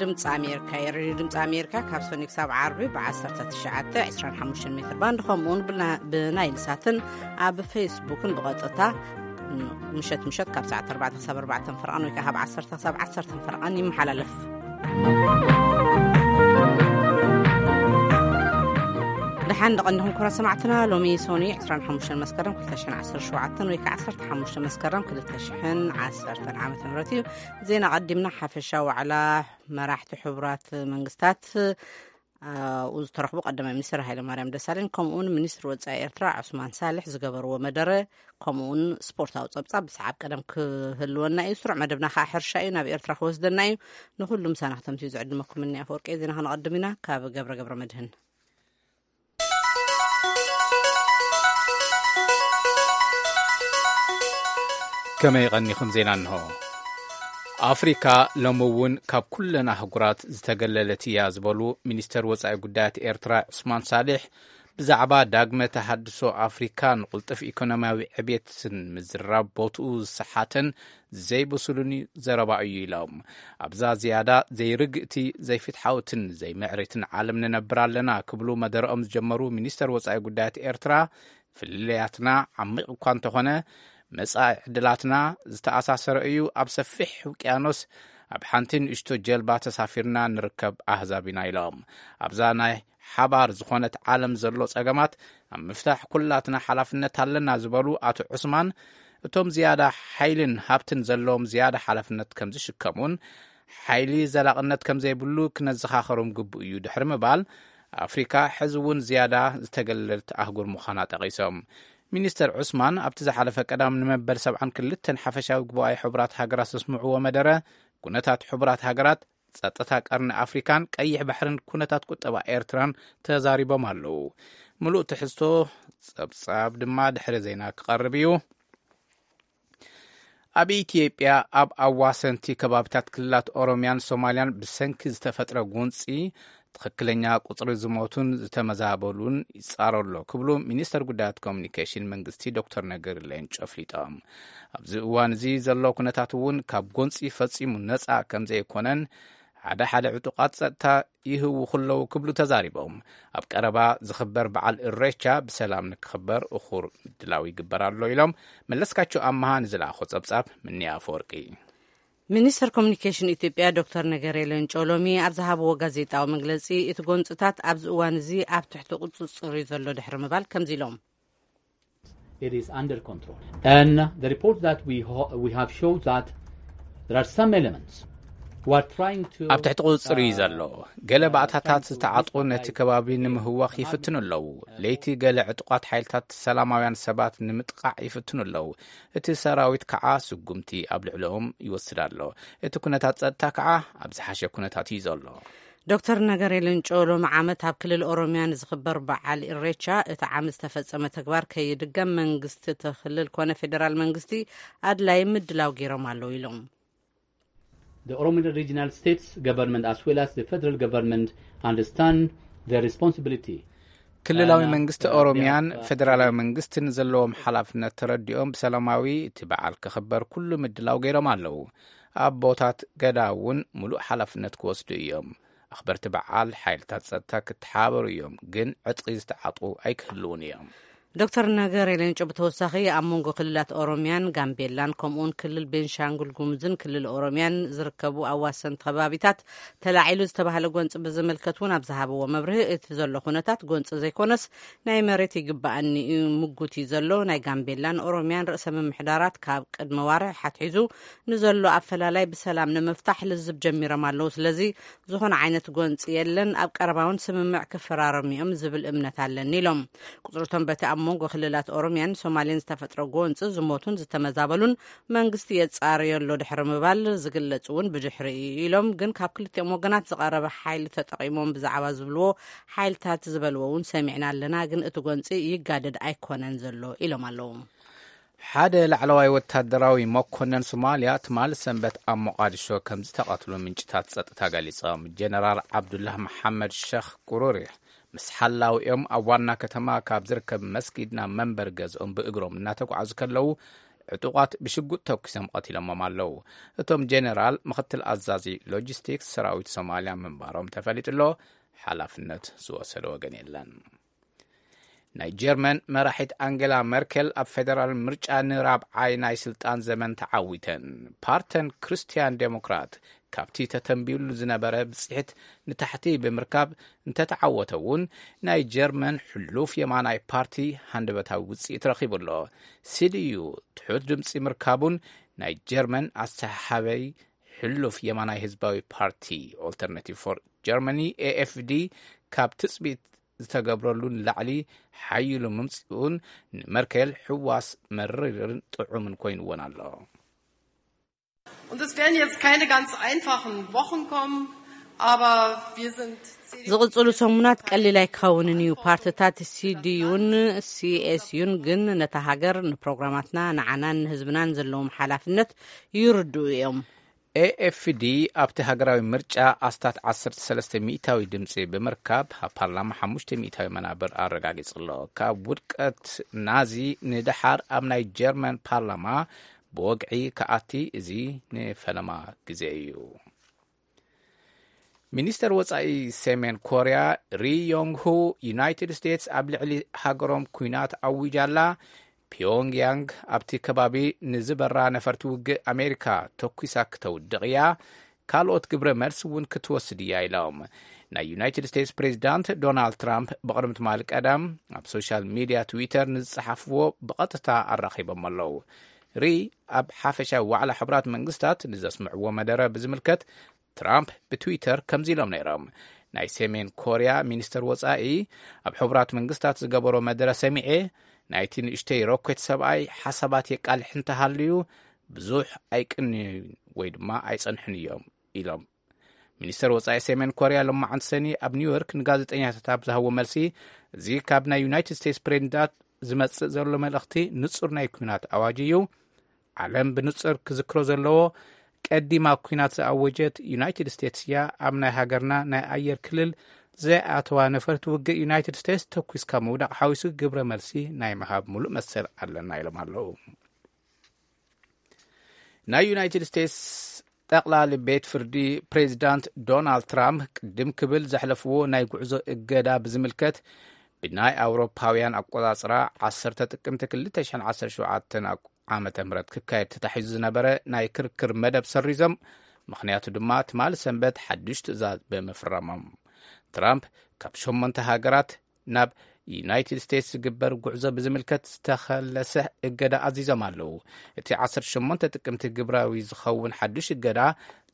ድምፂ ኣሜሪካ እዩ። ሬድዮ ድምፂ ኣሜሪካ ካብ ሰኒ ክሳብ ዓርቢ ብ19፣ 25 ሜትር ባንድ፣ ከምኡውን ብና-፣ ብናይል ሳትን ኣብ ፌስቡክን ብቐጥታ ምሸት ምሸት ካብ ሰዓት ኣርባዕተ ክሳብ ኣርባዕተ ፈረቓን ወይ ከዓ ካብ ዓሰርተ ክሳብ ዓሰርተ ፈረቓን ይመሓላለፍ። ደሓን ደቐንኹም ክቡራት ሰማዕትና፣ ሎሚ ሶኒ 25 መስከረም 2017 ወይ ከዓ 15 መስከረም 2010 ዓመተ ምህረት እዩ። ዜና ቀዲምና ሓፈሻ ዋዕላ መራሕቲ ሕቡራት መንግስታት፣ ኣብኡ ዝተረኽቡ ቀዳማይ ሚኒስትር ሃይለማርያም ደሳለኝ፣ ከምኡውን ሚኒስትር ወጻኢ ኤርትራ ዑስማን ሳልሕ ዝገበርዎ መደረ፣ ከምኡውን ስፖርታዊ ጸብጻብ ብሰዓብ ቀደም ክህልወና እዩ። ስሩዕ መደብና ከኣ ሕርሻ እዩ፣ ናብ ኤርትራ ክወስደና እዩ። ንኹሉ ምሳና ክተምስዩ ዝዕድመኩም እኒ ኣፈወርቂ። ዜና ከነቐድም ኢና ካብ ገብረ ገብረ መድህን። ከመይ ቀኒኹም? ዜና እንሆ። ኣፍሪካ ሎሚ እውን ካብ ኩለን ኣህጉራት ዝተገለለት እያ ዝበሉ ሚኒስተር ወጻኢ ጉዳያት ኤርትራ ዑስማን ሳልሕ፣ ብዛዕባ ዳግመ ተሃድሶ ኣፍሪካ ንቕልጡፍ ኢኮኖሚያዊ ዕብየትን ምዝራብ ቦትኡ ዝሰሓተን ዘይብሱልን ዘረባ እዩ ኢሎም። ኣብዛ ዝያዳ ዘይርግእቲ፣ ዘይፍትሓውትን ዘይምዕሪትን ዓለም ንነብር ኣለና ክብሉ መደረኦም ዝጀመሩ ሚኒስተር ወጻኢ ጉዳያት ኤርትራ፣ ፍልልያትና ዓሚቕ እኳ እንተኾነ፣ መጻኢ ዕድላትና ዝተኣሳሰረ እዩ። ኣብ ሰፊሕ ውቅያኖስ ኣብ ሓንቲ ንእሽቶ ጀልባ ተሳፊርና ንርከብ ኣህዛብ ኢና ኢሎም። ኣብዛ ናይ ሓባር ዝኾነት ዓለም ዘሎ ጸገማት ኣብ ምፍታሕ ኩላትና ሓላፍነት ኣለና ዝበሉ ኣቶ ዑስማን፣ እቶም ዝያዳ ሓይልን ሃብትን ዘለዎም ዝያዳ ሓላፍነት ከም ዝሽከሙን ሓይሊ ዘላቕነት ከም ዘይብሉ ክነዘኻኸሮም ግቡእ እዩ ድሕሪ ምባል፣ ኣፍሪካ ሕዚ እውን ዝያዳ ዝተገለለት ኣህጉር ምዃና ጠቒሶም። ሚኒስተር ዑስማን ኣብቲ ዝሓለፈ ቀዳም ንመበል 72 ሓፈሻዊ ጉባኤ ሕቡራት ሃገራት ዘስምዕዎ መደረ፣ ኩነታት ሕቡራት ሃገራት፣ ጸጥታ ቀርኒ ኣፍሪካን ቀይሕ ባሕርን ኩነታት ቁጠባ ኤርትራን ተዛሪቦም ኣለዉ። ምሉእ ትሕዝቶ ጸብጻብ ድማ ድሕሪ ዜና ክቐርብ እዩ። ኣብ ኢትዮጵያ ኣብ ኣዋሰንቲ ከባቢታት ክልላት ኦሮሚያን ሶማሊያን ብሰንኪ ዝተፈጥረ ጎንጺ ትኽክለኛ ቁጽሪ ዝሞቱን ዝተመዛበሉን ይጻረ ኣሎ ክብሉ ሚኒስተር ጉዳያት ኮሚኒኬሽን መንግስቲ ዶክተር ነገሪ ሌንጮ ኣፍሊጦም። ኣብዚ እዋን እዚ ዘሎ ኩነታት እውን ካብ ጎንጺ ፈጺሙ ነጻ ከም ዘይኮነን ሓደ ሓደ ዕጡቓት ጸጥታ ይህውኹ ኣለዉ ክብሉ ተዛሪቦም። ኣብ ቀረባ ዝኽበር በዓል እሬቻ ብሰላም ንክኽበር እኹር ምድላው ይግበር ኣሎ ኢሎም። መለስካቸው ኣመሃ ንዝለኣኾ ጸብጻብ ምንያ ኣፈወርቂ። ሚኒስተር ኮሚኒኬሽን ኢትዮጵያ ዶክተር ነገሪ ሌንጮ ሎሚ ኣብ ዝሃብዎ ጋዜጣዊ መግለጺ፣ እቲ ጎንጽታት ኣብዚ እዋን እዚ ኣብ ትሕቲ ቁጽጽር እዩ ዘሎ ድሕሪ ምባል ከምዚ ኢሎም። It is under control. And the report that we, ho- we have showed that there are some elements who are trying to ኣብ ትሕቲ ቁጽጽር እዩ ዘሎ። ገለ ባእታታት ዝተዓጥቁ ነቲ ከባቢ ንምህዋኽ ይፍትኑ ኣለዉ። ለይቲ ገለ ዕጡቓት ሓይልታት ሰላማውያን ሰባት ንምጥቃዕ ይፍትኑ ኣለዉ። እቲ ሰራዊት ከዓ ስጉምቲ ኣብ ልዕሊኦም ይወስድ ኣሎ። እቲ ኩነታት ጸጥታ ከዓ ኣብ ዝሓሸ ኩነታት እዩ ዘሎ። ዶክተር ነገሪ ሌንጮ ሎሚ ዓመት ኣብ ክልል ኦሮሚያ ንዝኽበር በዓል ኢሬቻ እቲ ዓመት ዝተፈጸመ ተግባር ከይድገም መንግስቲ እቲ ክልል ኮነ ፌዴራል መንግስቲ ኣድላይ ምድላው ገይሮም ኣለዉ ኢሎም። The Oromo Regional States government as well as the federal government understand their responsibility. ክልላዊ መንግስቲ ኦሮሚያን ፌዴራላዊ መንግስትን ዘለዎም ሓላፍነት ተረዲኦም ብሰላማዊ እቲ በዓል ክኽበር ኩሉ ምድላው ገይሮም ኣለዉ። ኣቦታት ገዳ እውን ሙሉእ ሓላፍነት ክወስዱ እዮም። ኣኽበርቲ በዓል ሓይልታት ጸጥታ ክተሓባበሩ እዮም፣ ግን ዕጥቂ ዝተዓጥቁ ኣይክህልውን እዮም። ዶክተር ነገሪ ሌንጮ ብተወሳኺ ኣብ መንጎ ክልላት ኦሮሚያን ጋምቤላን ከምኡውን ክልል ቤንሻንጉል ጉሙዝን ክልል ኦሮሚያን ዝርከቡ ኣዋሰንቲ ከባቢታት ተላዒሉ ዝተባህለ ጎንፂ ብዝምልከት እውን ኣብ ዝሃብዎ መብርሂ እቲ ዘሎ ኩነታት ጎንፂ ዘይኮነስ ናይ መሬት ይግባኣኒ እዩ ምጉት እዩ ዘሎ። ናይ ጋምቤላን ኦሮሚያን ርእሰ ምምሕዳራት ካብ ቅድሚ ዋርሕ ሓትሒዙ ንዘሎ ኣፈላላይ ብሰላም ንምፍታሕ ልዝብ ጀሚሮም ኣለዉ። ስለዚ ዝኾነ ዓይነት ጎንፂ የለን፣ ኣብ ቀረባ እውን ስምምዕ ክፈራረሙ እዮም ዝብል እምነት ኣለኒ ኢሎም። ቁፅርቶም በቲ ኣብ መንጎ ክልላት ኦሮሚያን ሶማሌን ዝተፈጥረ ጎንፂ ዝሞቱን ዝተመዛበሉን መንግስቲ የፃርዮ ኣሎ ድሕሪ ምባል ዝግለፅ እውን ብድሕሪ እዩ ኢሎም። ግን ካብ ክልቲኦም ወገናት ዝቐረበ ሓይሊ ተጠቒሞም ብዛዕባ ዝብልዎ ሓይልታት ዝበልዎ እውን ሰሚዕና ኣለና፣ ግን እቲ ጎንፂ ይጋደድ ኣይኮነን ዘሎ ኢሎም ኣለዉ። ሓደ ላዕለዋይ ወታደራዊ መኮነን ሶማልያ ትማሊ ሰንበት ኣብ ሞቓዲሾ ከም ዝተቐትሉ ምንጭታት ጸጥታ ገሊጾም። ጀነራል ዓብዱላህ መሓመድ ሸኽ ቁሩሪ ምስ ሓላዊኦም ኣብ ዋና ከተማ ካብ ዝርከብ መስጊድ ናብ መንበሪ ገዝኦም ብእግሮም እናተጓዓዙ ከለዉ ዕጡቓት ብሽጉጥ ተኩሶም ቀቲሎሞም ኣለዉ። እቶም ጀነራል ምኽትል ኣዛዚ ሎጂስቲክስ ሰራዊት ሶማልያ ምንባሮም ተፈሊጡ ኣሎ። ሓላፍነት ዝወሰደ ወገን የለን። ናይ ጀርመን መራሒት ኣንጌላ መርኬል ኣብ ፌደራል ምርጫ ንራብዓይ ናይ ስልጣን ዘመን ተዓዊተን። ፓርተን ክርስትያን ዴሞክራት ካብቲ ተተንቢዩሉ ዝነበረ ብጽሒት ንታሕቲ ብምርካብ እንተተዓወተ እውን፣ ናይ ጀርመን ሕሉፍ የማናይ ፓርቲ ሃንደበታዊ ውጽኢት ረኺቡ ኣሎ። ሲዲዩ ትሑት ድምጺ ምርካቡን ናይ ጀርመን ኣሰሓሓበይ ሕሉፍ የማናይ ህዝባዊ ፓርቲ ኦልተርናቲቭ ፎር ጀርመኒ ኤኤፍዲ ካብ ትጽቢት ዝተገብረሉ ንላዕሊ ሓይሉ ምምጽኡን ንመርኬል ሕዋስ መሪርን ጥዑምን ኮይንዎን ኣሎ። Und es werden jetzt keine ganz einfachen Wochen kommen, aber wir sind ዝቕጽሉ ሰሙናት ቀሊል ኣይክኸውንን እዩ። ፓርትታት ሲዲዩን ሲኤስዩን ግን ነታ ሃገር፣ ንፕሮግራማትና፣ ንዓናን ንህዝብናን ዘለዎም ሓላፍነት ይርድኡ እዮም። ኤኤፍዲ ኣብቲ ሃገራዊ ምርጫ ኣስታት ዓሰርተ ሰለስተ ሚእታዊ ድምፂ ብምርካብ ኣብ ፓርላማ ሓሙሽተ ሚእታዊ መናብር ኣረጋጊጹ ኣሎ። ካብ ውድቀት ናዚ ንደሓር ኣብ ናይ ጀርመን ፓርላማ ብወግዒ ክኣቲ እዚ ንፈለማ ግዜ እዩ። ሚኒስተር ወጻኢ ሰሜን ኮርያ ሪ ዮንግ ሁ፣ ዩናይትድ ስቴትስ ኣብ ልዕሊ ሃገሮም ኲናት ኣዊጃ ኣላ። ፒዮንግያንግ ኣብቲ ከባቢ ንዝበራ ነፈርቲ ውግእ ኣሜሪካ ተኲሳ ክተውድቕ እያ፣ ካልኦት ግብረ መልሲ እውን ክትወስድ እያ ኢሎም። ናይ ዩናይትድ ስቴትስ ፕሬዚዳንት ዶናልድ ትራምፕ ብቕድሚ ትማሊ ቀዳም ኣብ ሶሻል ሚድያ ትዊተር ንዝጸሓፍዎ ብቐጥታ ኣራኺቦም ኣለዉ። ሪ ኣብ ሓፈሻዊ ዋዕላ ሕቡራት መንግስታት ንዘስምዕዎ መደረ ብዝምልከት ትራምፕ ብትዊተር ከምዚ ኢሎም ነይሮም። ናይ ሰሜን ኮርያ ሚኒስተር ወጻኢ ኣብ ሕቡራት መንግስታት ዝገበሮ መደረ ሰሚዐ፣ ናይቲ ንእሽተይ ሮኬት ሰብኣይ ሓሳባት የቃልሕ እንተሃልዩ ብዙሕ ኣይቅንዩን ወይ ድማ ኣይጸንሑን እዮም ኢሎም። ሚኒስተር ወጻኢ ሰሜን ኮርያ ሎማዓንቲ ሰኒ ኣብ ኒውዮርክ ንጋዜጠኛታት ኣብ ዝሃቦ መልሲ፣ እዚ ካብ ናይ ዩናይትድ ስቴትስ ፕሬዚዳንት ዝመጽእ ዘሎ መልእኽቲ ንጹር ናይ ኲናት ኣዋጅ እዩ። ዓለም ብንጹር ክዝክሮ ዘለዎ፣ ቀዲማ ኲናት ዝኣወጀት ዩናይትድ ስቴትስ እያ። ኣብ ናይ ሃገርና ናይ ኣየር ክልል ዘይኣተዋ ነፈርቲ ውግእ ዩናይትድ ስቴትስ ተኲስካ ምውዳቕ ሓዊሱ ግብረ መልሲ ናይ ምሃብ ሙሉእ መሰል ኣለና ኢሎም ኣለዉ። ናይ ዩናይትድ ስቴትስ ጠቕላሊ ቤት ፍርዲ ፕሬዚዳንት ዶናልድ ትራምፕ ቅድም ክብል ዘሕለፍዎ ናይ ጉዕዞ እገዳ ብዝምልከት ብናይ ኣውሮፓውያን ኣቆጻጽራ ዓሰርተ ጥቅምቲ ክልተ ሽሕን ዓሰርተ ሸውዓተን ዓመተ ምህረት ክካየድ ተታሒዙ ዝነበረ ናይ ክርክር መደብ ሰሪዞም። ምኽንያቱ ድማ ትማሊ ሰንበት ሓድሽ ትእዛዝ ብምፍራሞም። ትራምፕ ካብ ሸሞንተ ሃገራት ናብ ዩናይትድ ስቴትስ ዝግበር ጉዕዞ ብዝምልከት ዝተኸለሰ እገዳ ኣዚዞም ኣለዉ። እቲ ዓሰርተ ሸሞንተ ጥቅምቲ ግብራዊ ዝኸውን ሓድሽ እገዳ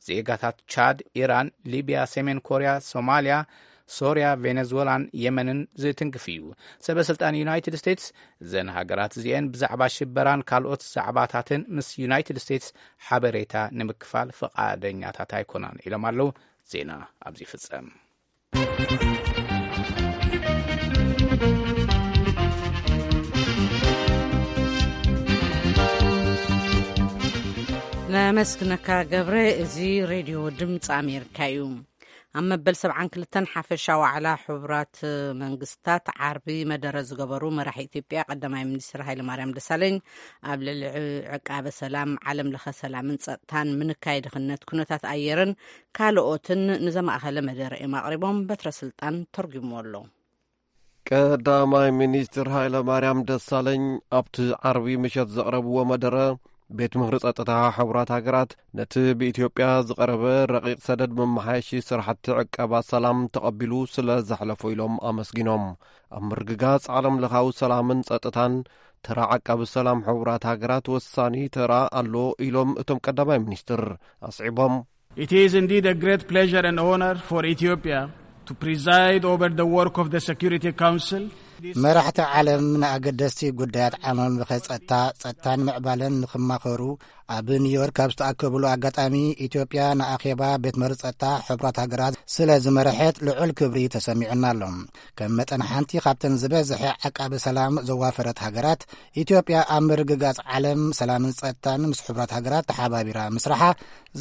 ዜጋታት ቻድ፣ ኢራን፣ ሊብያ፣ ሰሜን ኮርያ፣ ሶማልያ፣ ሶርያ፣ ቬነዝወላን የመንን ዝትንክፍ እዩ። ሰበ ስልጣን ዩናይትድ ስቴትስ እዘን ሃገራት እዚኤን ብዛዕባ ሽበራን ካልኦት ዛዕባታትን ምስ ዩናይትድ ስቴትስ ሓበሬታ ንምክፋል ፍቓደኛታት ኣይኮናን ኢሎም ኣለዉ። ዜና ኣብዚ ይፍጸም። ነመስግነካ ገብረ። እዚ ሬድዮ ድምፂ ኣሜሪካ እዩ። ኣብ መበል ሰብዓን ክልተን ሓፈሻ ዋዕላ ሕቡራት መንግስታት ዓርቢ መደረ ዝገበሩ መራሒ ኢትዮጵያ ቀዳማይ ሚኒስትር ሃይለማርያም ደሳለኝ፣ ኣብ ልዕሊ ዕቃበ ሰላም፣ ዓለም ለኸ ሰላምን ጸጥታን፣ ምንካይ ድኽነት፣ ኩነታት ኣየርን ካልኦትን ንዘማእኸለ መደረ እዮም ኣቕሪቦም። በትረ ስልጣን ተርጉምዎ ኣሎ። ቀዳማይ ሚኒስትር ሃይለ ማርያም ደሳለኝ ኣብቲ ዓርቢ ምሸት ዘቕረብዎ መደረ፣ ቤት ምኽሪ ጸጥታ ሕቡራት ሃገራት ነቲ ብኢትዮጵያ ዝቐረበ ረቂቕ ሰደድ መመሓየሺ ስራሕቲ ዕቀባ ሰላም ተቐቢሉ ስለ ዘሕለፎ ኢሎም ኣመስጊኖም። ኣብ ምርግጋጽ ዓለም ለኻዊ ሰላምን ጸጥታን ተራ ዓቃቢ ሰላም ሕቡራት ሃገራት ወሳኒ ተራ ኣሎ ኢሎም እቶም ቀዳማይ ሚኒስትር ኣስዒቦም። It is indeed a great pleasure and honor for Ethiopia to preside over the work of the Security Council. መራሕቲ ዓለም ንኣገደስቲ ጉዳያት ዓለም ለኸ ጸጥታ፣ ጸጥታን ምዕባለን ንኽማኸሩ ኣብ ኒውዮርክ ኣብ ዝተኣከብሉ ኣጋጣሚ፣ ኢትዮጵያ ንኣኼባ ቤት ምኽሪ ጸጥታ ሕቡራት ሃገራት ስለ ዝመርሐት ልዑል ክብሪ ተሰሚዑና ኣሎ። ከም መጠን ሓንቲ ካብተን ዝበዝሐ ዓቃቢ ሰላም ዘዋፈረት ሃገራት፣ ኢትዮጵያ ኣብ ምርግጋጽ ዓለም ሰላምን ጸጥታን ምስ ሕቡራት ሃገራት ተሓባቢራ ምስራሓ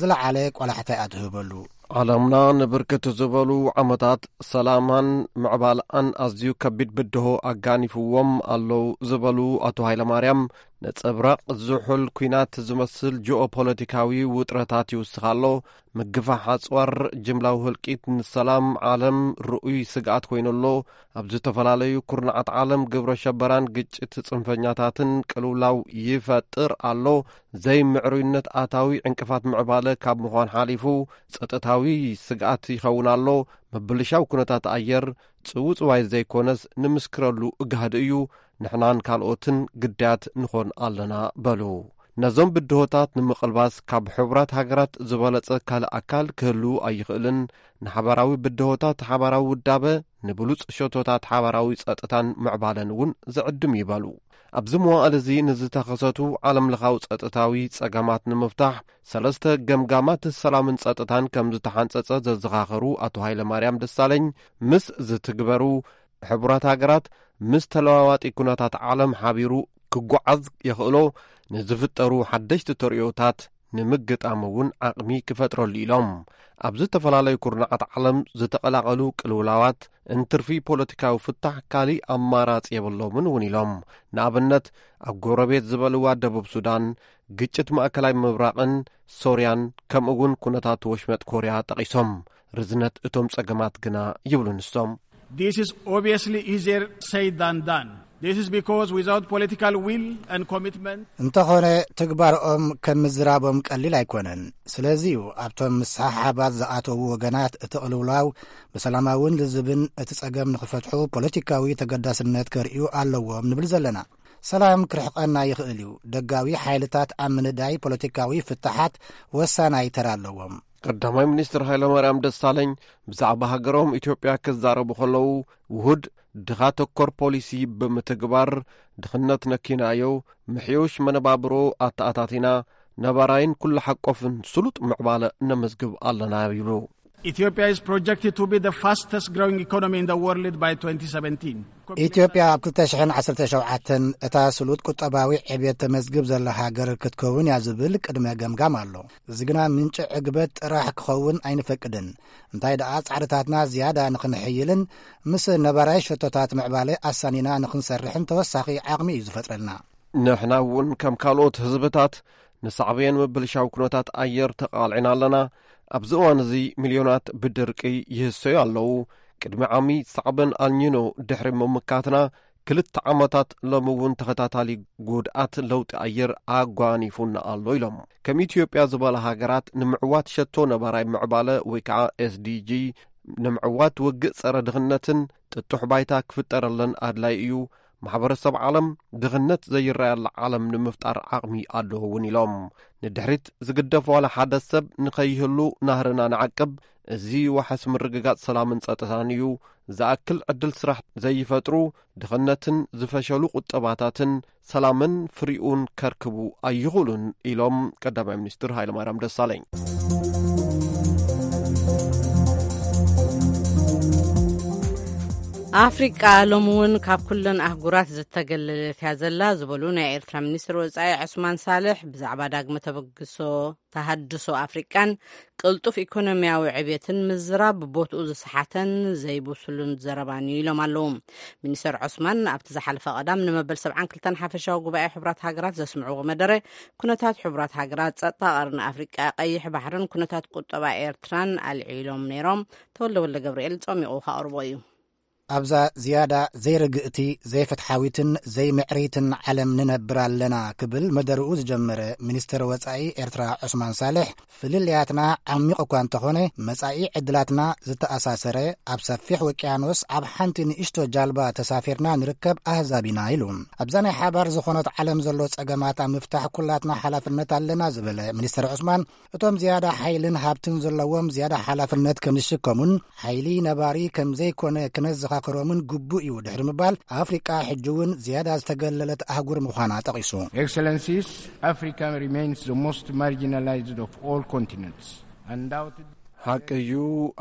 ዝለዓለ ቆላሕታ እያ ትህበሉ። ዓለምና ንብርክት ዝበሉ ዓመታት ሰላማን ምዕባለኣን ኣዝዩ ከቢድ ብድሆ ኣጋኒፍዎም ኣለዉ ዝበሉ ኣቶ ሃይለማርያም፣ ነጸብራቕ ዝሑል ኲናት ዝመስል ጂኦፖለቲካዊ ውጥረታት ይውስኽ ኣሎ። ምግፋሕ ኣጽዋር፣ ጅምላዊ ህልቂት፣ ንሰላም ዓለም ርኡይ ስግኣት ኮይኑ ኣሎ። ኣብ ዝተፈላለዩ ኩርናዓት ዓለም ግብረ ሸበራን ግጭት ጽንፈኛታትን ቅልውላው ይፈጥር ኣሎ። ዘይምዕሩይነት ኣታዊ ዕንቅፋት ምዕባለ ካብ ምዃን ሓሊፉ ጸጥታዊ ስግኣት ይኸውን ኣሎ። ምብልሻው ኩነታት ኣየር ጽውጽዋይ ዘይኮነስ ንምስክረሉ እጋህዲ እዩ። ንሕናን ካልኦትን ግዳያት ንኾን ኣለና በሉ። ነዞም ብድሆታት ንምቕልባስ ካብ ሕቡራት ሃገራት ዝበለጸ ካልእ ኣካል ክህሉ ኣይኽእልን። ንሓባራዊ ብድሆታት ሓባራዊ ውዳበ፣ ንብሉጽ ሸቶታት ሓባራዊ ጸጥታን ምዕባለን እውን ዝዕድም እዩ በሉ። ኣብዚ መዋእል እዚ ንዝተኸሰቱ ዓለምለኻዊ ጸጥታዊ ጸገማት ንምፍታሕ ሰለስተ ገምጋማት ሰላምን ጸጥታን ከም ዝተሓንጸጸ ዘዘኻኸሩ ኣቶ ሃይለ ማርያም ደሳለኝ፣ ምስ ዝትግበሩ ሕቡራት ሃገራት ምስ ተለዋዋጢ ኩነታት ዓለም ሓቢሩ ክጓዓዝ የኽእሎ፣ ንዝፍጠሩ ሓደሽቲ ተርእዮታት ንምግጣም እውን ዓቕሚ ክፈጥረሉ ኢሎም። ኣብ ዝተፈላለዩ ኩርናዓት ዓለም ዝተቐላቐሉ ቅልውላዋት እንትርፊ ፖለቲካዊ ፍታሕ ካሊእ ኣማራጺ የብሎምን እውን ኢሎም። ንኣብነት ኣብ ጎረቤት ዝበልዋ ደቡብ ሱዳን፣ ግጭት ማእከላይ ምብራቕን ሶርያን፣ ከምኡ እውን ኩነታት ወሽመጥ ኮርያ ጠቒሶም። ርዝነት እቶም ጸገማት ግና ይብሉ ንሶም። This is obviously easier said than done. This is because without political will and commitment, እንተኾነ ትግባርኦም ከም ምዝራቦም ቀሊል ኣይኮነን። ስለዚ እዩ ኣብቶም ምስሓሓባት ዝኣተዉ ወገናት እቲ ቅልውላው ብሰላማውን ልዝብን እቲ ጸገም ንኽፈትሑ ፖለቲካዊ ተገዳስነት ከርእዩ ኣለዎም ንብል ዘለና። ሰላም ክርሕቐና ይኽእል እዩ። ደጋዊ ሓይልታት ኣብ ምንዳይ ፖለቲካዊ ፍታሓት ወሳናይ ተራ ኣለዎም። ቀዳማይ ሚኒስትር ሃይለማርያም ደሳለኝ ብዛዕባ ሃገሮም ኢትዮጵያ ክዛረቡ ከለዉ፣ ውሁድ ድኻ ተኮር ፖሊሲ ብምትግባር፣ ድኽነት ነኪናዮ፣ ምሕዩሽ መነባብሮ ኣተኣታቲና፣ ነባራይን ኩሉ ሓቆፍን ስሉጥ ምዕባለ ነመዝግብ ኣለና ይብሉ። Ethiopia is projected to be the fastest growing economy in the world by twenty seventeen. ኢትዮጵያ ኣብ ክልተ ሽሕን ዓሰርተ ሸውዓተን እታ ስሉጥ ቁጠባዊ ዕብየት ተመዝግብ ዘላ ሃገር ክትከውን እያ ዝብል ቅድመ ገምጋም ኣሎ። እዚ ግና ምንጪ ዕግበት ጥራሕ ክኸውን ኣይንፈቅድን። እንታይ ደኣ ጻዕርታትና ዝያዳ ንኽንሕይልን ምስ ነባራይ ሸቶታት ምዕባለ ኣሳኒና ንኽንሰርሕን ተወሳኺ ዓቕሚ እዩ ዝፈጥረልና። ንሕና እውን ከም ካልኦት ህዝብታት ንሳዕቤን ምብልሻው ኩነታት ኣየር ተቓልዕና ኣለና። ኣብዚ እዋን እዚ ሚልዮናት ብድርቂ ይህሰዩ ኣለዉ። ቅድሚ ዓሚ ሳዕበን ኣልኒኖ ድሕሪ ምምካትና ክልተ ዓመታት ሎሚ እውን ተኸታታሊ ጉድኣት ለውጢ ኣየር ኣጓኒፉና ኣሎ ኢሎም። ከም ኢትዮጵያ ዝበላ ሃገራት ንምዕዋት ሸቶ ነባራይ ምዕባለ ወይ ከዓ ኤስዲጂ ንምዕዋት ውግእ ጸረ ድኽነትን ጥጡሕ ባይታ ክፍጠረለን ኣድላይ እዩ። ማሕበረሰብ ዓለም ድኽነት ዘይረኣየላ ዓለም ንምፍጣር ዓቕሚ ኣለዎ እውን ኢሎም። ንድሕሪት ዝግደፍ ዋላ ሓደ ሰብ ንኸይህሉ ናህርና ንዓቅብ። እዚ ዋሕስ ምርግጋጽ ሰላምን ጸጥታን እዩ። ዝኣክል ዕድል ስራሕ ዘይፈጥሩ፣ ድኽነትን ዝፈሸሉ ቁጠባታትን ሰላምን ፍሪኡን ከርክቡ ኣይኽእሉን ኢሎም ቀዳማይ ሚኒስትር ሃይለማርያም ደሳለኝ። ኣፍሪቃ ሎሚ እውን ካብ ኩለን ኣህጉራት ዝተገለለት እያ ዘላ ዝበሉ ናይ ኤርትራ ሚኒስትር ወጻኢ ዑስማን ሳልሕ ብዛዕባ ዳግመ ተበግሶ ተሃድሶ ኣፍሪቃን ቅልጡፍ ኢኮኖሚያዊ ዕብየትን ምዝራብ ቦትኡ ዝሰሓተን ዘይብሱልን ዘረባን እዩ ኢሎም ኣለዉ። ሚኒስተር ዑስማን ኣብቲ ዝሓለፈ ቀዳም ንመበል ሰብዓን ክልተን ሓፈሻዊ ጉባኤ ሕቡራት ሃገራት ዘስምዕዎ መደረ ኩነታት ሕቡራት ሃገራት፣ ጸጥታ ቀርኒ ኣፍሪቃ፣ ቀይሕ ባሕርን ኩነታት ቁጠባ ኤርትራን ኣልዒሎም ነይሮም። ተወልደ ወልደ ገብርኤል ጸሚቑ ከቕርቦ እዩ። ኣብዛ ዝያዳ ዘይርግእቲ፣ ዘይፍትሓዊትን ዘይምዕርይትን ዓለም ንነብር ኣለና ክብል መደርኡ ዝጀመረ ሚኒስተር ወጻኢ ኤርትራ ዑስማን ሳልሕ፣ ፍልልያትና ዓሚቕ እኳ እንተኾነ መጻኢ ዕድላትና ዝተኣሳሰረ፣ ኣብ ሰፊሕ ውቅያኖስ ኣብ ሓንቲ ንእሽቶ ጃልባ ተሳፊርና ንርከብ ኣህዛብ ኢና ኢሉ። ኣብዛ ናይ ሓባር ዝኾነት ዓለም ዘሎ ጸገማት ኣብ ምፍታሕ ኩላትና ሓላፍነት ኣለና ዝበለ ሚኒስተር ዑስማን፣ እቶም ዝያዳ ሓይልን ሃብትን ዘለዎም ዝያዳ ሓላፍነት ከም ዝሽከሙን ሓይሊ ነባሪ ከም ዘይኮነ ክነዘኻኽሮምን ግቡእ እዩ ድሕሪ ምባል፣ ኣፍሪቃ ሕጂ እውን ዝያዳ ዝተገለለት ኣህጉር ምዃና ጠቒሱ። Excellencies, Africa remains the most marginalized of all continents. Undoubtedly, ሓቂ እዩ፣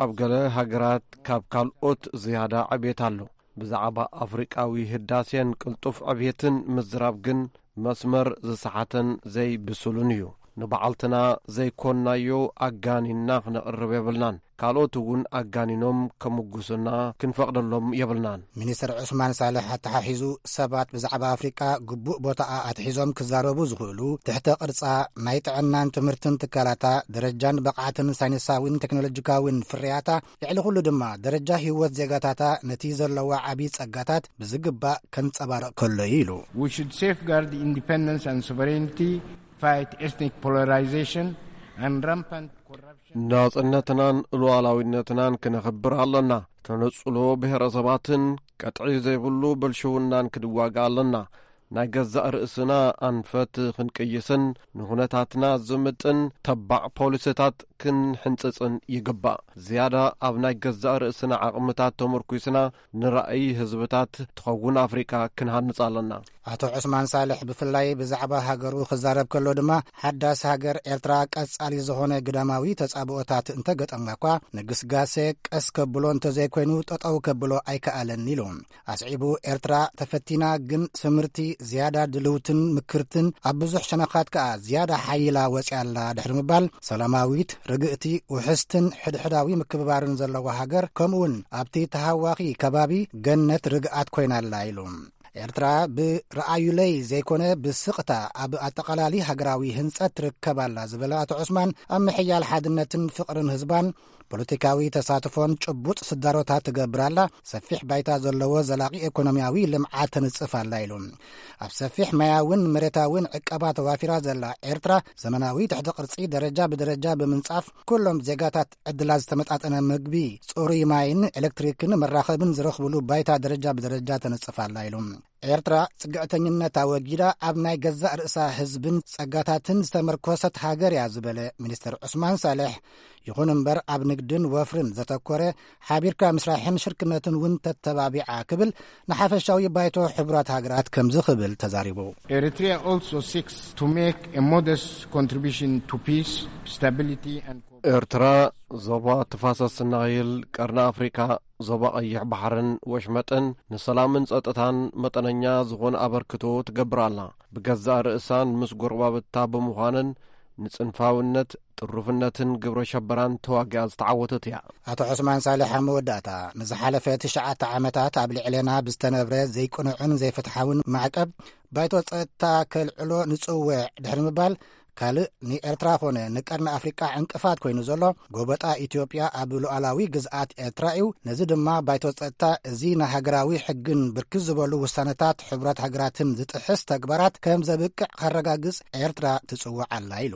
ኣብ ገለ ሃገራት ካብ ካልኦት ዝያዳ ዕብየት ኣሎ። ብዛዕባ ኣፍሪቃዊ ህዳሴን ቅልጡፍ ዕብየትን ምዝራብ ግን መስመር ዝሰሓተን ዘይብሱልን እዩ። ንበዓልትና ዘይኮንናዮ ኣጋኒንና ክነቕርብ የብልናን። ካልኦት እውን ኣጋኒኖም ከምጉሱና ክንፈቕደሎም የብልናን። ሚኒስትር ዑስማን ሳልሕ ኣተሓሒዙ፣ ሰባት ብዛዕባ ኣፍሪቃ ግቡእ ቦታኣ ኣትሒዞም ክዛረቡ ዝኽእሉ፣ ትሕተ ቅርጻ፣ ናይ ጥዕናን ትምህርትን ትካላታ፣ ደረጃን ብቕዓትን ሳይንሳዊን ቴክኖሎጂካዊን ፍርያታ፣ ልዕሊ ኩሉ ድማ ደረጃ ህይወት ዜጋታታ ነቲ ዘለዋ ዓቢ ጸጋታት ብዝግባእ ከንጸባርቕ ከሎ እዩ ኢሉ። We should safeguard independence and sovereignty, fight ethnic polarization and rampant corruption. ናጽነትናን ሉዓላዊነትናን ክነኽብር ኣለና። ተነጽሎ ብሔረሰባትን ቀጥዒ ዘይብሉ ብልሽውናን ክንዋጋእ ኣለና። ናይ ገዛእ ርእስና ኣንፈት ክንቅይስን ንኹነታትና ዝምጥን ተባዕ ፖሊሲታት ክንሕንጽጽን ይግባእ። ዝያዳ ኣብ ናይ ገዛእ ርእስና ዓቕምታት ተመርኲስና ንራእይ ህዝብታት ትኸውን ኣፍሪቃ ክንሃንጽ ኣለና። ኣቶ ዑስማን ሳልሕ ብፍላይ ብዛዕባ ሃገሩ ክዛረብ ከሎ ድማ፣ ሓዳስ ሃገር ኤርትራ ቀጻሊ ዝኾነ ግዳማዊ ተጻብኦታት እንተገጠማ እኳ፣ ንግስጋሴ ቀስ ከብሎ እንተዘይኮይኑ ጠጠው ከብሎ ኣይከኣለን ኢሉ። ኣስዒቡ፣ ኤርትራ ተፈቲና ግን ስምርቲ፣ ዝያዳ ድልውትን ምክርትን፣ ኣብ ብዙሕ ሸነኻት ከኣ ዝያዳ ሓይላ ወጺኣላ ድሕሪ ምባል፣ ሰላማዊት፣ ርግእቲ፣ ውሕስትን ሕድሕዳዊ ምክብባርን ዘለዋ ሃገር፣ ከምኡውን ኣብቲ ተሃዋኺ ከባቢ ገነት ርግኣት ኮይናላ ኢሉ። ኤርትራ ብረኣዩለይ ዘይኮነ ብስቕታ ኣብ ኣጠቓላሊ ሃገራዊ ህንጸት ትርከብ ኣላ ዝበለ ኣቶ ዑስማን፣ ኣብ ምሕያል ሓድነትን ፍቕርን ህዝባን፣ ፖለቲካዊ ተሳትፎን ጭቡጥ ስዳሮታት ትገብር ኣላ፣ ሰፊሕ ባይታ ዘለዎ ዘላቒ ኤኮኖሚያዊ ልምዓት ተንጽፍ ኣላ ኢሉ። ኣብ ሰፊሕ ማያውን መሬታውን ዕቀባ ተዋፊራ ዘላ ኤርትራ፣ ዘመናዊ ትሕቲ ቅርጺ ደረጃ ብደረጃ ብምንጻፍ፣ ኩሎም ዜጋታት ዕድላት ዝተመጣጠነ ምግቢ፣ ጽሩይ ማይን ኤሌክትሪክን መራኸብን ዝረኽብሉ ባይታ ደረጃ ብደረጃ ተነጽፍ ኣላ ኢሉ። ኤርትራ ጽግዕተኝነት ኣወጊዳ ኣብ ናይ ገዛእ ርእሳ ህዝብን ጸጋታትን ዝተመርኮሰት ሃገር እያ ዝበለ ሚኒስትር ዑስማን ሳልሕ፣ ይኹን እምበር ኣብ ንግድን ወፍርን ዘተኮረ ሓቢርካ ምስራሕን ሽርክነትን እውን ተተባቢዓ ክብል ንሓፈሻዊ ባይቶ ሕቡራት ሃገራት ከምዚ ክብል ተዛሪቡ። Eritrea also seeks to make a modest contribution to peace, stability and ኤርትራ ዞባ ተፋሰስ ናይል፣ ቀርኒ ኣፍሪካ፣ ዞባ ቀይሕ ባሕርን ወሽመጥን ንሰላምን ጸጥታን መጠነኛ ዝኾነ ኣበርክቶ ትገብር ኣላ። ብገዛእ ርእሳን ምስ ጎረባብታ ብምዃንን ንጽንፋውነት፣ ጥሩፍነትን ግብረ ሸበራን ተዋጊኣ ዝተዓወተት እያ። ኣቶ ዑስማን ሳልሕ ኣብ መወዳእታ፣ ንዝሓለፈ ትሽዓተ ዓመታት ኣብ ልዕሌና ብዝተነብረ ዘይቅኑዕን ዘይፍትሓውን ማዕቀብ ባይቶ ጸጥታ ከልዕሎ ንጽውዕ ድሕሪ ምባል፣ ካልእ ንኤርትራ ኾነ ንቀርኒ ኣፍሪቃ ዕንቅፋት ኮይኑ ዘሎ ጎበጣ ኢትዮጵያ ኣብ ሉዓላዊ ግዝኣት ኤርትራ እዩ። ነዚ ድማ ባይቶ ጸጥታ እዚ ንሃገራዊ ሕግን ብርክት ዝበሉ ውሳነታት ሕቡራት ሃገራትን ዝጥሕስ ተግባራት ከም ዘብቅዕ ከረጋግጽ ኤርትራ ትጽውዕ ኣላ ኢሉ።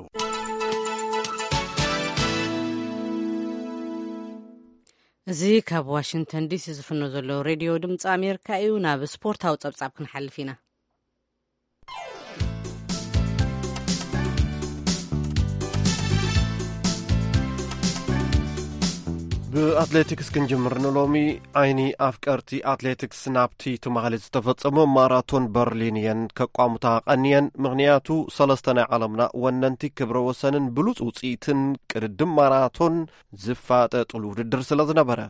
እዚ ካብ ዋሽንግተን ዲሲ ዝፍኖ ዘሎ ሬድዮ ድምፂ ኣሜሪካ እዩ። ናብ ስፖርታዊ ጸብጻብ ክንሓልፍ ኢና። ብኣትሌቲክስ ክንጅምር ንሎሚ። ዓይኒ ኣፍቀርቲ ኣትሌቲክስ ናብቲ ትማሊ ዝተፈጸመ ማራቶን በርሊን እየን ከቋሙታ ቀንየን። ምኽንያቱ ሰለስተ ናይ ዓለምና ወነንቲ ክብረ ወሰንን ብሉጽ ውጽኢትን ቅድድም ማራቶን ዝፋጠጥሉ ውድድር ስለ ዝነበረ፣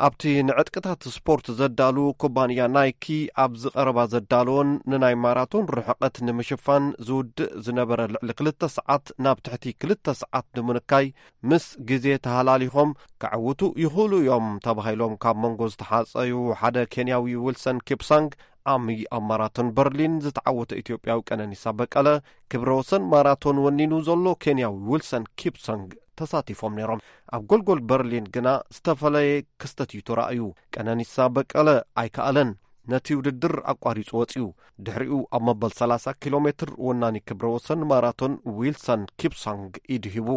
ኣብቲ ንዕጥቅታት ስፖርት ዘዳሉ ኩባንያ ናይኪ ኣብዚ ቀረባ ዘዳለዎን ንናይ ማራቶን ርሕቐት ንምሽፋን ዝውድእ ዝነበረ ልዕሊ ክልተ ሰዓት ናብ ትሕቲ ክልተ ሰዓት ንምንካይ ምስ ግዜ ተሃላሊኾም ከዕውቱ ይኽእሉ እዮም ተባሂሎም ካብ መንጎ ዝተሓጸዩ ሓደ ኬንያዊ ዊልሰን ኪፕሳንግ፣ ዓሚ ኣብ ማራቶን በርሊን ዝተዓወተ ኢትዮጵያዊ ቀነኒሳ በቀለ፣ ክብረ ወሰን ማራቶን ወኒኑ ዘሎ ኬንያዊ ዊልሰን ኪፕሳንግ ተሳቲፎም ነይሮም። ኣብ ጎልጎል በርሊን ግና ዝተፈለየ ክስተት እዩ ተራእዩ። ቀነኒሳ በቀለ ኣይከኣለን። ነቲ ውድድር ኣቋሪጹ ወጺኡ። ድሕሪኡ ኣብ መበል ሰላሳ ኪሎ ሜትር ወናኒ ክብረ ወሰን ማራቶን ዊልሰን ኪፕሳንግ ኢዱ ሂቡ።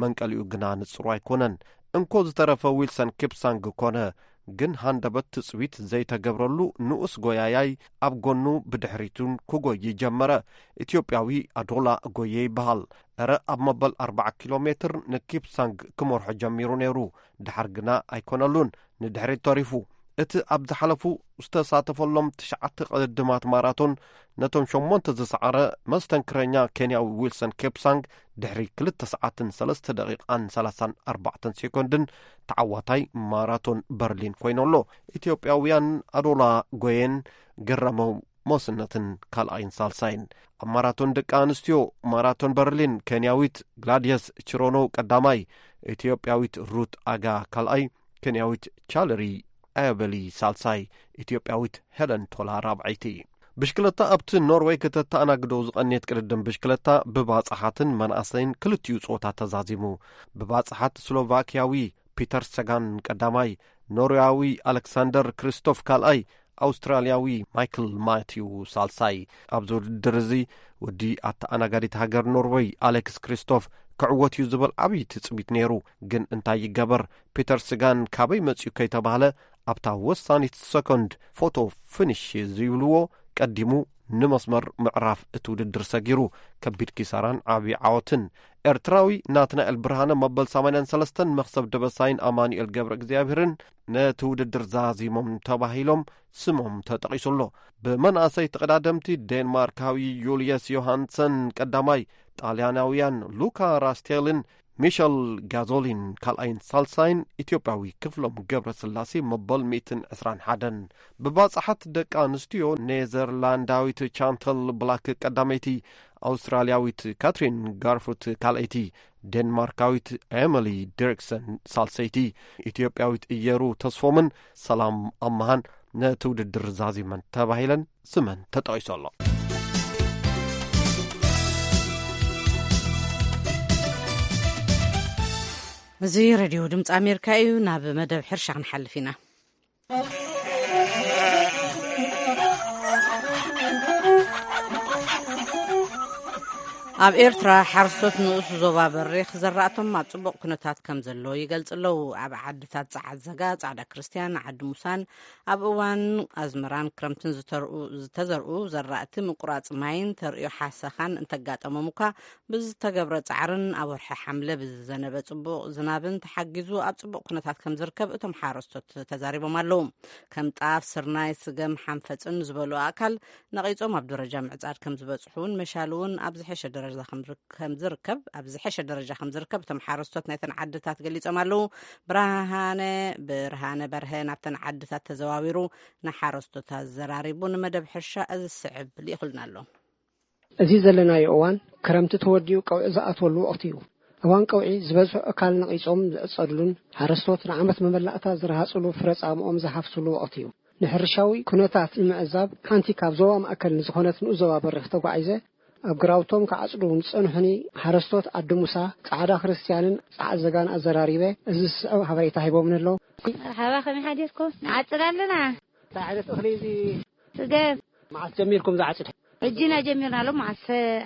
መንቀሊኡ ግና ንጽሩ ኣይኮነን። እንኮ ዝተረፈ ዊልሰን ኪፕሳንግ ኮነ፣ ግን ሃንደበት ትጽቢት ዘይተገብረሉ ንኡስ ጎያያይ ኣብ ጎኑ ብድሕሪቱን ክጎዪ ጀመረ። ኢትዮጵያዊ ኣዶላ ጎየ ይበሃል። እረ ኣብ መበል ኣርባዓ ኪሎ ሜትር ንኪፕሳንግ ክመርሖ ጀሚሩ ነይሩ። ድሓር ግና ኣይኮነሉን፣ ንድሕሪት ተሪፉ። እቲ ኣብ ዝሓለፉ ዝተሳተፈሎም ትሽዓተ ቅድድማት ማራቶን ነቶም ሸሞንተ ዝሰዓረ መስተንክረኛ ኬንያዊ ዊልሰን ኬፕሳንግ ድሕሪ ክልተ ሰዓትን ሰለስተ ደቂቓን ሰላሳን ኣርባዕተን ሴኮንድን ተዓዋታይ ማራቶን በርሊን ኮይኑ ኣሎ። ኢትዮጵያውያን ኣዶላ ጎየን ገረመው ሞስነትን ካልኣይን ሳልሳይን። ኣብ ማራቶን ደቂ ኣንስትዮ ማራቶን በርሊን ኬንያዊት ግላድየስ ችሮኖ ቀዳማይ፣ ኢትዮጵያዊት ሩት ኣጋ ካልኣይ፣ ኬንያዊት ቻለሪ ኣያበሊ ሳልሳይ፣ ኢትዮጵያዊት ሄለን ቶላ ራብዐይቲ። ብሽክለታ ኣብቲ ኖርወይ ከተተኣናግዶ ዝቐንየት ቅድድም ብሽክለታ ብባጽሓትን መናእሰይን ክልቲኡ ጾታ ተዛዚሙ። ብባጽሓት ስሎቫኪያዊ ፒተር ሰጋን ቀዳማይ፣ ኖርያዊ ኣሌክሳንደር ክሪስቶፍ ካልኣይ፣ ኣውስትራልያዊ ማይክል ማቲው ሳልሳይ። ኣብዚ ውድድር እዚ ወዲ ኣተኣናጋዲት ሃገር ኖርወይ ኣሌክስ ክሪስቶፍ ክዕወት እዩ ዝብል ዓብዪ ትጽቢት ነይሩ። ግን እንታይ ይገበር፣ ፒተር ስጋን ካበይ መጺኡ ከይተባህለ ኣብታ ወሳኒት ሰኮንድ ፎቶ ፊኒሽ ዝብልዎ ቀዲሙ ንመስመር ምዕራፍ እቲ ውድድር ሰጊሩ። ከቢድ ኪሳራን ዓብዪ ዓወትን። ኤርትራዊ ናትናኤል ብርሃነ መበል ሰማንያን ሰለስተን መኽሰብ ደበሳይን ኣማኑኤል ገብረ እግዚኣብሔርን ነቲ ውድድር ዛዚሞም ተባሂሎም ስሞም ተጠቒሱ ኣሎ። ብመናእሰይ ተቐዳደምቲ ዴንማርካዊ ዩልየስ ዮሃንሰን ቀዳማይ፣ ጣልያናውያን ሉካ ራስቴልን ሚሸል ጋዞሊን ካልኣይን ሳልሳይን፣ ኢትዮጵያዊ ክፍሎም ገብረስላሴ መበል ሚእትን ዕስራን ሓደን። ብባጽሓት ደቂ ኣንስትዮ ኔዘርላንዳዊት ቻንተል ብላክ ቀዳመይቲ፣ ኣውስትራልያዊት ካትሪን ጋርፉት ካልኣይቲ፣ ዴንማርካዊት ኤሚሊ ዲሪክሰን ሳልሰይቲ፣ ኢትዮጵያዊት እየሩ ተስፎምን ሰላም ኣመሃን ነቲ ውድድር ዛዚመን ተባሂለን ስመን ተጠቒሱ ኣሎ። እዚ ሬድዮ ድምፂ ኣሜሪካ እዩ። ናብ መደብ ሕርሻ ክንሓልፍ ኢና። ኣብ ኤርትራ ሓረስቶት ንኡስ ዞባ በሪኽ ዘራእቶም ኣብ ጽቡቕ ኩነታት ከም ዘሎ ይገልጽ ኣለዉ። ኣብ ዓድታት ጸዓት ዘጋ፣ ጻዕዳ ክርስትያን፣ ዓዲ ሙሳን ኣብ እዋን ኣዝመራን ክረምትን ዝተርኡ-፣ ዝተዘርኡ ዘራእቲ ምቁራጽ ማይን ተርእዮ ሓሰኻን እንተጋጠሞም እኳ ብዝተገብረ ጻዕርን ኣብ ወርሒ ሓምለ ብዝዘነበ ጽቡቕ ዝናብን ተሓጊዙ ኣብ ጽቡቕ ኩነታት ከም ዝርከብ እቶም ሓረስቶት ተዛሪቦም ኣለዉ። ከም ጣፍ፣ ስርናይ፣ ስገም፣ ሓንፈጽን ዝበሉ ኣእካል ነቒጾም ኣብ ደረጃ ምዕጻድ ከም ዝበጽሑ እውን መሻል እውን ኣብ ዝሐሸ ደረጃ ከም ዝር-፣ ከም ዝርከብ፣ ኣብ ዝሐሸ ደረጃ ከም ዝርከብ እቶም ሓረስቶት ናይተን ዓድታት ገሊጾም ኣለዉ። ብርሃነ፣ ብርሃነ በርሀ ናብተን ዓድታት ተዘዋዊሩ ንሓረስቶት ኣዘራሪቡ ንመደብ ሕርሻ እዚ ዝስዕብ ልኢኹልና ኣሎ። እዚ ዘለናዮ እዋን ክረምቲ ተወዲኡ ቀውዒ ዝኣትወሉ ወቕቲ እዩ። እዋን ቀውዒ ዝበዝሑ እካል ነቒጾም ዝዕጸድሉን ሓረስቶት ንዓመት መመላእታ ዝረሃጽሉ ፍረ ጻምኦም ዝሓፍስሉ ወቕቲ እዩ። ንሕርሻዊ ኩነታት ንምዕዛብ ሓንቲ ካብ ዞባ ማእከል ንዝኾነት ንኡስ ዞባ በሪኽ ተጓዒዘ ኣብ ግራውቶም ክዓጽዱ ንጸንሑኒ ሓረስቶት ዓዲ ሙሳ፣ ጻዕዳ ክርስትያንን ጻዕዳ ዘጋን ኣዘራሪበ እዚ ዝስዕብ ሓበሬታ ሂቦምኒ ኣለዉ። መርሓባ፣ ከመይ ሓዲርኩም? ንዓጽድ ኣለና። እንታይ ዓይነት እኽሊ እዚ? ስገም። መዓስ ጀሚርኩም ዝዓጽድ? ሕጂ ኢና ጀሚርና። ሎም መዓስ?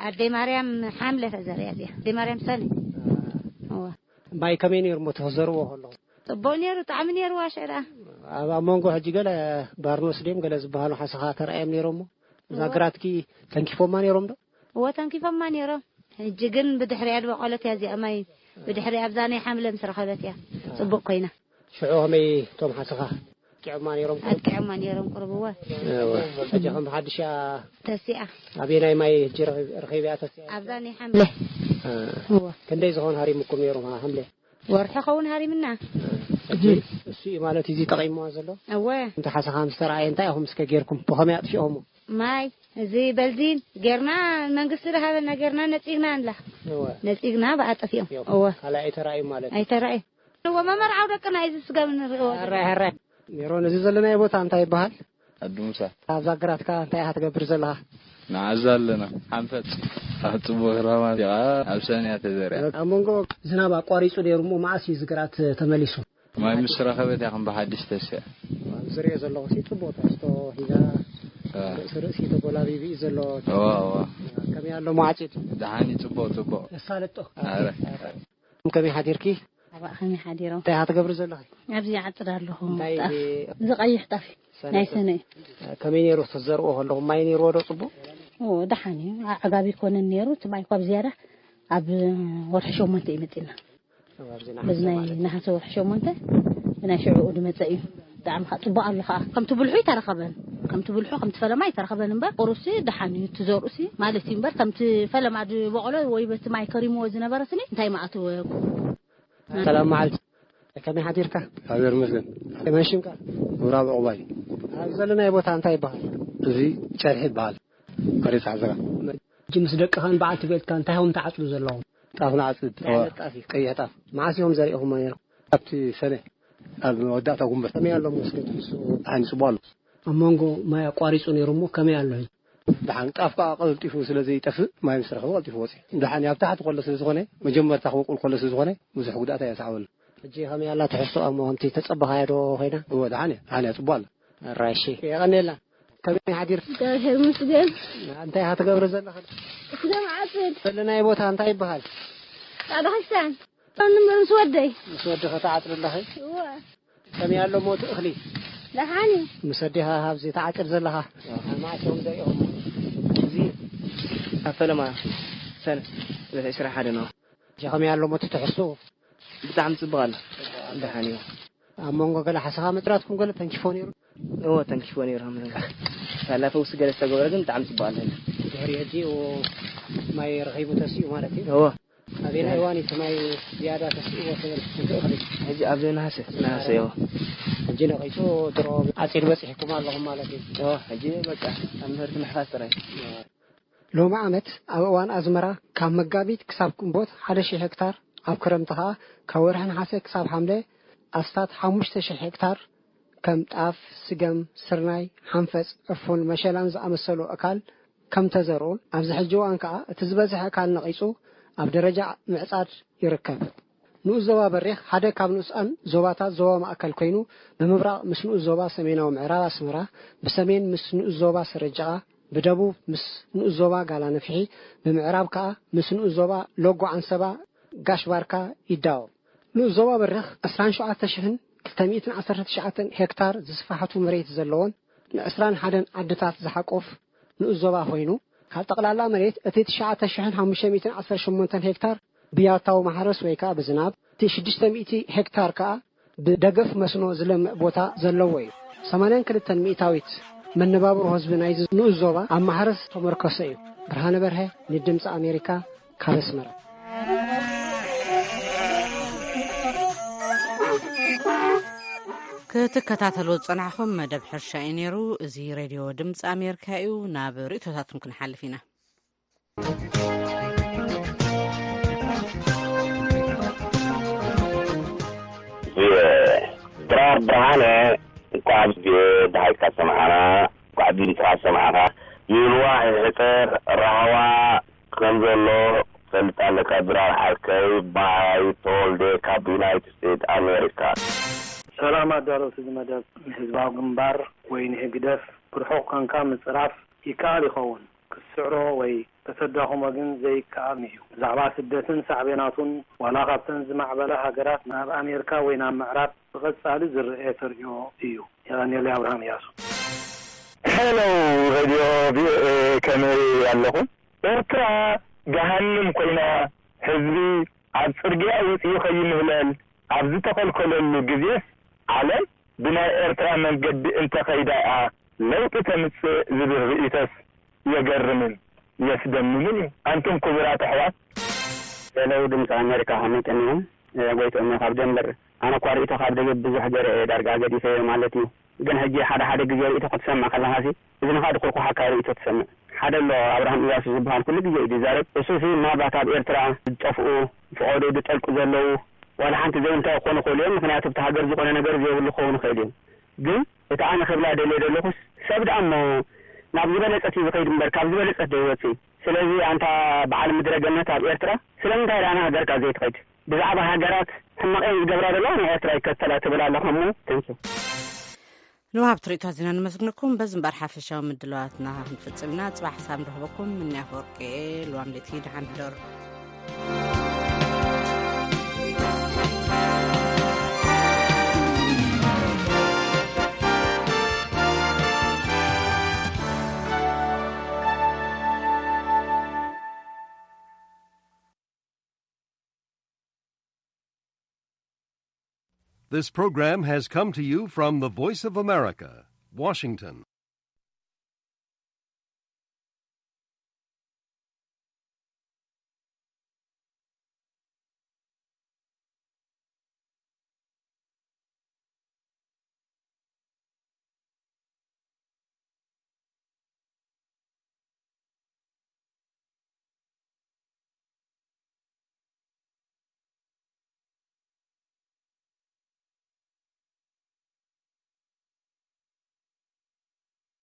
ኣደይ ማርያም ሓምለ ተዘሪያ እዚኣ። ኣደይ ማርያም ሰነ። እዋ። ማይ ከመይ ነይሩ እሞ ተዘርዎ ከለኹም? ጽቡቕ ነይሩ፣ ጣዕሚ ነይሩ። ዋሸ ደኣ። ኣብ፣ ኣብ መንጎ ሕጂ ገለ ባርኖስ ድዮም ገለ ዝበሃሉ ሓሰኻ ተራእዮም ነይሮም እሞ እዛ እዋ። ግራትኪ ተንኪፎማ ነይሮም ዶ? እዎ፣ ተንኪፎማ ነይሮም። ሕጂ ግን ብድሕሪኣ ዝበቆለት እያ እዚኣ ማይ። ብድሕሪ ኣብዛ ናይ ሓምለ ምስ ረኸበት እያ ጽቡቕ ኮይና። ሽዑ ከመይ እቶም ሓሰኻ ኣጥቂዖማ ነይሮም? ኣጥቂዖማ ነይሮም ቁሩብ፣ እወ። እወ። ሕጂ ከም ብሓድሽ እያ ተሲኣ። ኣበየናይ ማይ ሕጂ ረኺብ-፣ ረኺብያ ተሲኣ? ኣብዛ ናይ ሓምለ። እ። እወ። ክንደይ ዝኾን ሃሪሙኩም ነይሩ ሓምለ? ወርሒ ኸውን ሃሪምና። ሕጂ እሱ እዩ ማለት እዩ ጠቒምዋ ዘሎ? እወ። እንተ ሓሰኻ ምስ ተረኣየ እንታይ ኢኹም እስከ ጌርኩም? ብኸመይ ኣጥፊኦሙ? ማይ፣ እዚ በልዚን ጌርና፣ መንግስቲ ዝሃበና ጌርና ነጺግና ንላ። እወ። ነጺግና ብኣጠፊኦም። እዮም። እወ። ካልእ ኣይተራእዩ ማለት እዩ። ኣይተራእዩ። እወ፣ መመርዓዊ ደቅና እዩ ዝስገም ንርእዮ ዘለና። ሕራይ፣ ሕራይ። ሜሮን፣ እዚ ዘለናዮ ቦታ እንታይ ይበሃል? ኣዲ ሙሳ። ኣብዛ ግራትካ እንታይ ኢኻ ትገብር ዘለኻ? ንዓዛ ኣለና። ሓንፈጽ። ኣብ ጽቡቕ ክረማት እያ፣ ኣብ ሰንያ ተዘሪኣ። ኣብ መንጎ ዝናብ ኣቋሪጹ ነይሩ እሞ መዓስ እዩ እዚ ግራት ተመሊሱ? ማይ ምስ ረኸበት እያ ከም ብሓድሽ ተስያ። ዝሪኦ ዘለኹ ሲ ጽቡቕ ትሕዝቶ ሒዛ፣ እ። ርእሲ ርእሲ ተጎላቢቢ እዩ ዘሎ። እዋ፣ እዋ። ከመይ ኣሎ መዓጺድ? ደሓን እዩ፣ ጽቡቕ፣ ጽቡቕ። የሳልጦ። ኣረ። ከመይ ሓዲርኪ? ኣባእ ከመይ ሓዲሮም? እንታይ ኢኻ ትገብሪ ዘለኺ? ኣብዚ ይዓጽድ ኣለኹ። እንታይ ጣፍ። እዚ ቀይሕ ጣፍ እዩ። ሰነ ናይ ጣፍ። ሰነ እዩ። ከመይ ነይሩ ክትዘርዎ ከለኹም ማይ ነይርዎ ዶ ጽቡቕ? ኦ፣ ደሓን እዩ። ኣዕጋቢ ይኮነን ነይሩ። እቲ ማይ እኳ ብዝያዳ ኣብ ወርሒ ሸሞንተ እዩ መጺና። ኣብዚ በዚ ነሓሰ ናይ ማለት እዩ። ነሓሰ ወርሒ ሸሞንተ ብናይ ሽዑኡ ዝመጸ እዩ። ብጣዕሚ ከዓ ጽቡቕ ኣሎ ከዓ። ከምቲ ብልሑ ኣይተረኸበን። ከምቲ ብልሑ፣ ከምቲ ፈለማ ኣይተረኸበን እምበር፣ ቁሩብሲ ደሓን እዩ። እቲ ዘርኡሲ ማለት እዩ እምበር፣ ከምቲ ፈለማ ዝበቖሎ ወይ በቲ ማይ ከሪምዎ ዝነበረ ስኒ እንታይ መኣተወ? ሰላም መዓልቲ። ከመይ ሓዲርካ? እግዚኣብሔር ይመስገን። ከመይ ሽምካ? ምብራብ ዕቑባይ። ኣብ ዘለናዮ ቦታ እንታይ ይበሃል? እዚ ጨርሒ ይበሃል። ከሬሳ ዓዘራ። ሕጂ ምስ ደቅኻን በዓልቲ ቤትካ እንታይ ኢኹም ትዓጽዱ ዘለኹም? ጣፍ ንዓጽድ። እንታይ ዓይነት ጣፍ እዩ? ቀይሕ ጣፍ። መዓስ ኢኹም ዘሪእኹሞ ነይሩ? ኣብቲ ሰነ፣ ኣብ መወዳእታ ጉንበት። ከመይ ኣሎ መስገድ ንሱ? ደሓን ጽቡቕ ኣሎ። ኣብ መንጎ ማይ ኣቋሪጹ ነይሩ እሞ ከመይ ኣሎ ሕጂ? ደሓን ጣፍ ከዓ ቀልጢፉ ስለ ዘይጠፍእ ማይ ምስ ረኸበ ቀልጢፉ ወፂኡ። ደሓን ኣብ ታሕቲ ከሎ ስለ ዝኾነ፣ መጀመርታ ክበቁል ከሎ ስለ ዝኾነ ብዙሕ ጉድኣት ኣየስዓበሉ። ሕጂ ከመይ ኣላ ትሕዝቶ እሞ ከምቲ ተጸበኻዮ ዶ ኮይና? እወ፣ ደሓን እያ፣ ደሓን እያ፣ ጽቡቕ ኣላ። ራሺ። የቐኔላ። ከመይ ሓዲር? እግዚኣብሔር ይመስገን። እንታይ ኢኻ ትገብሪ ዘለኻ? ስገም ዓጽድ። ዘለናዮ ቦታ እንታይ ይበሃል? ጻዕዳ ክስታን። ኣነ እምበር ምስ ወደይ። ምስ ወድኺ ትዓጽሪ ኣለኺ? እወ። ከመይ ኣሎ ሞት እኽሊ? ደሓን እዩ። ምስ ወዲኻ ኣብዚ ትዓጽድ ዘለኻ? መዓስ እዮም ዘሪኦም? እዚ ኣብ ፈለማ ሰነ ዕለት ዕስራ ሓደ ነው። እዚ ከመይ ኣሎ ሞት ትሕሱ? ብጣዕሚ ጽቡቕ ኣሎ። ደሓን እዩ። ኣብ መንጎ ገለ ሓሰኻ መጥራትኩም ገለ ተንኪፎ ነይሩ? እወ፣ ተንኪፎ ነይሩ። ኣብ መንጎ ሳላ ፈውሲ ገለ ዝተገበረ ግን ብጣዕሚ ጽቡቕ ኣሎ። ድሕሪ ሕጂ እዎ ማይ ረኺቡ ተሲኡ ማለት እዩ? እወ። ኣበየናይ እዋን እዩ እቲ ማይ ዝያዳ ተሲእዎ ትብል? እቲ እኽሊ? ሕጂ ኣብ ነሃሰ፣ ነሃሰ፣ እዎ። ሕጂ ነቒጹ ድሮ ዓጺድ በጺሕኩም ኣለኹም ማለት እዩ? እዎ፣ ሕጂ በቃ ኣብ ምህርቲ ምሕፋስ ጥራይ። ሎሚ ዓመት ኣብ እዋን ኣዝመራ ካብ መጋቢት ክሳብ ግንቦት ሓደ ሺሕ ሄክታር፣ ኣብ ክረምቲ ኸኣ ካብ ወርሒ ነሓሰ ክሳብ ሓምለ ኣስታት ሓሙሽተ ሺሕ ሄክታር ከም ጣፍ፣ ስገም፣ ስርናይ፣ ሓንፈጽ፣ ዕፉን፣ መሸላን ዝኣመሰሉ ኣእካል ከም ተዘርኡን ኣብዚ ሕጂ እዋን ከኣ እቲ ዝበዝሐ ኣእካል ነቒጹ ኣብ ደረጃ ምዕጻድ ይርከብ። ንኡስ ዞባ በሪኽ ሓደ ካብ ንኡሳን ዞባታት ዞባ ማእከል ኮይኑ፣ ብምብራቕ ምስ ንኡስ ዞባ ሰሜናዊ ምዕራብ ኣስመራ፣ ብሰሜን ምስ ንኡስ ዞባ ስረ ጃቓ፣ ብደቡብ ምስ ንኡስ ዞባ ጋላ ነፍሒ፣ ብምዕራብ ከኣ ምስ ንኡስ ዞባ ሎጎ ዓንሰባ ጋሽ ባርካ ይዳወብ። ንኡስ ዞባ በሪኽ ዕስራን ሸውዓተ ሽሕን ክልተ ሚእትን ዓሰርተ ትሽዓተን ሄክታር ዝስፋሕቱ መሬት ዘለዎን ንዕስራን ሓደን ዓድታት ዝሓቁፍ ንኡስ ዞባ ኮይኑ፣ ካብ ጠቕላላ መሬት እቲ ትሽዓተ ሽሕን ሓሙሽተ ሚእትን ዓሰርተ ሸሞንተን ሄክታር ብያታዊ ማሕረስ ወይ ከኣ ብዝናብ፣ እቲ ሽዱሽተ ሚእቲ ሄክታር ከኣ ብደገፍ መስኖ ዝለምዕ ቦታ ዘለዎ እዩ። ሰማንያን ክልተን ሚእታዊት መነባብሮ ህዝቢ ናይዚ ንኡስ ዞባ ኣብ ማሕረስ ተመርኮሰ እዩ። ብርሃነ በርሀ ንድምፂ ኣሜሪካ ካብ ኣስመራ። ክትከታተሉ ዝጸናሕኹም መደብ ሕርሻ እዩ ነይሩ። እዚ ሬድዮ ድምፂ ኣሜሪካ እዩ። ናብ ርእቶታትኩም ክንሓልፍ ኢና። ድራር ብርሃነ፣ እንኳዕ ብሓይካ ሰማዕና፣ እንኳዕ ድምፅኻ ሰማዕካ። ይልዋ ሕፅር ራህዋ ከም ዘሎ ፈልጥ ኣለካ። ድራር ዓርከይ፣ ባይ ተወልደ ካብ ዩናይትድ ስቴትስ ኣሜሪካ። ሰላም ኣዳለውቲ እዚ መደብ። ንህዝባዊ ግንባር ወይ ንህግደፍ ብርሑቕ ኮንካ ምጽራፍ ይከኣል ይኸውን፣ ክትስዕሮ ወይ ከተዳኽሞ ግን ዘይከኣል እዩ። ብዛዕባ ስደትን ሳዕቤናቱን ዋላ ካብተን ዝማዕበላ ሃገራት ናብ ኣሜሪካ ወይ ናብ ምዕራብ ብቐጻሊ ዝረኤ ተርእዮ እዩ። የቐንየለይ። ኣብርሃም እያሱ። ሄሎ ሬድዮ ቪኦኤ፣ ከመይ ኣለኹም? ኤርትራ ገሃንም ኮይና፣ ህዝቢ ኣብ ጽርግያ ወጺኡ ከይምህለል ኣብ ዝተኸልከለሉ ግዜስ፣ ዓለም ብናይ ኤርትራ መንገዲ እንተኸይዳ እያ ለውጢ ተምጽእ ዝብል ርእይቶስ የገርምን የስደምምን እዩ። ኣንቱም ክቡራት ኣሕዋት። ሄሎ ድምፂ ኣሜሪካ፣ ከመይ ቀኒኹም? እ፣ ጎይትኦም እየ ካብ ደንበር። ኣነ እኳ ርእይቶ ካብ ደገ ብዙሕ ገይረ እየ ዳርጋ ገዲፈዮ ማለት እዩ። ግን ሕጂ ሓደ ሓደ ግዜ ርእይቶ ክትሰምዕ ከለኻሲ እዝንኻ ድኹርኩሓካ ርእይቶ ትሰምዕ። ሓደ ኣሎ ኣብርሃም እያሱ ዝበሃል ኩሉ ግዜ እዩ ዝዛረብ። እሱሲ ምናልባት ኣብ ኤርትራ ዝጠፍኡ፣ ፈቐዶ ዝጠልቁ ዘለዉ ዋላ ሓንቲ ዘይንታይ ክኾኑ ይኽእሉ እዮም። ምኽንያቱ ኣብቲ ሃገር ዝኾነ ነገር ዘይብሉ ክኸውን ይኽእል እዩ። ግን እቲ ኣነ ክብላ ደልየ ዘለኹስ ሰብ ደኣ እሞ ናብ ዝበለጸት እዩ ዝኸይድ እምበር ካብ ዝበለጸት ዶ ይወጽእ? ስለዚ ኣንታ በዓል ምድረ ገነት ኣብ ኤርትራ ስለምንታይ ደኣ ንሃገርካ ዘይትኸይድ? ብዛዕባ ሃገራት ሕማቕ እየን ዝገብራ ዘለዋ ንኤርትራ ይከተላ ትብል ኣለኻ እሞ። Thank you። ንወሃብቲ ርእይቶ ኣዚና ነመስግነኩም። በዚ እምበር ሓፈሻዊ ምድላዋትና ክንፍጽም ኢና። ጽባሕ ክሳብ ንረኽበኩም ምንያ ኣፈወርቂ እየ። ልዋም ለይቲ ደሓን ሕደሩ። This program has come to you from the Voice of America, Washington.